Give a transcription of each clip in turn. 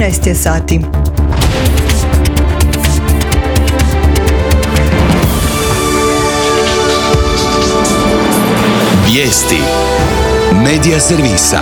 13 je sati. Vijesti Medija servisa.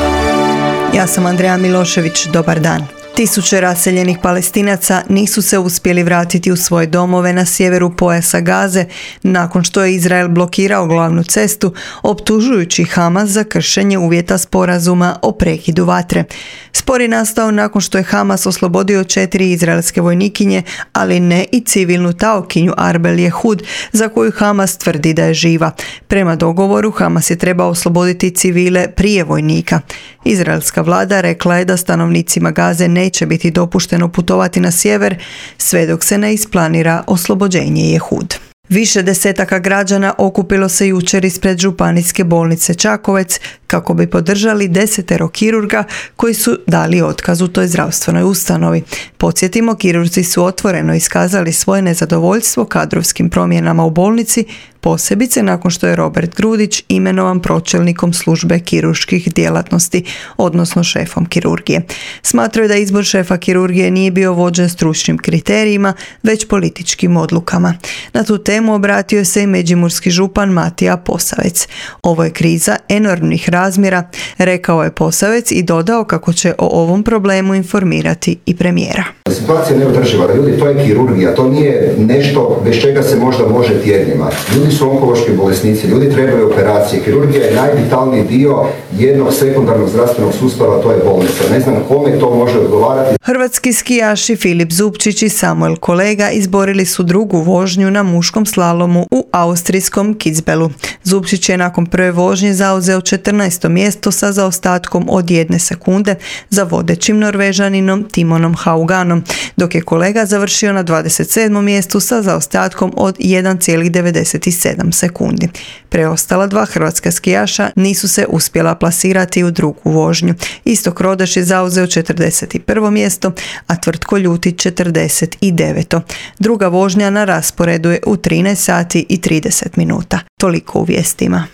Ja sam Andreja Milošević, dobar dan. Tisuće raseljenih Palestinaca nisu se uspjeli vratiti u svoje domove na sjeveru pojasa Gaze nakon što je Izrael blokirao glavnu cestu, optužujući Hamas za kršenje uvjeta sporazuma o prekidu vatre. Spor je nastao nakon što je Hamas oslobodio 4 izraelske vojnikinje, ali ne i civilnu taokinju Arbel Jehud, za koju Hamas tvrdi da je živa. Prema dogovoru, Hamas je trebao osloboditi civile prije vojnika. Izraelska vlada rekla je da stanovnicima Gaze neće biti dopušteno putovati na sjever sve dok se ne isplanira oslobođenje Jehud. Više desetaka građana okupilo se jučer ispred županijske bolnice Čakovec kako bi podržali 10 kirurga koji su dali otkaz u toj zdravstvenoj ustanovi. Podsjetimo, kirurzi su otvoreno iskazali svoje nezadovoljstvo kadrovskim promjenama u bolnici, posebice nakon što je Robert Grudić imenovan pročelnikom službe kirurških djelatnosti, odnosno šefom kirurgije. Smatraju da izbor šefa kirurgije nije bio vođen stručnim kriterijima, već političkim odlukama. Na tu temu obratio se i međimurski župan Matija Posavec. Ovo je kriza enormnih razmjera, rekao je Posavec i dodao kako će o ovom problemu informirati i premijera. Situacija je neodrživa, ljudi, to je kirurgija, to nije nešto bez čega se možda može tjednima. Ljudi su onkološki bolesnici, ljudi trebaju operacije. Kirurgija je najvitalniji dio jednog sekundarnog zdravstvenog sustava, to je bolnica. Ne znam kome to može odgovarati. Hrvatski skijaši Filip Zupčić i Samuel Kolega izborili su drugu vožnju na muškom slalomu u austrijskom Kitzbühelu. Zupčić je nakon prve vožnje zauzeo 14. mjesto sa zaostatkom od 1 sekunde za vodećim Norvežaninom Timonom Hauganom, dok je Kolega završio na 27. mjestu sa zaostatkom od 1,97 sekundi. Preostala dva hrvatska skijaša nisu se uspjela plasirati u drugu vožnju. Istok Rodeš je zauzeo 41. mjesto, a Tvrtko Ljutić 49. Druga vožnja na rasporedu je u 13 sati i 30 minuta. Toliko u vijestima.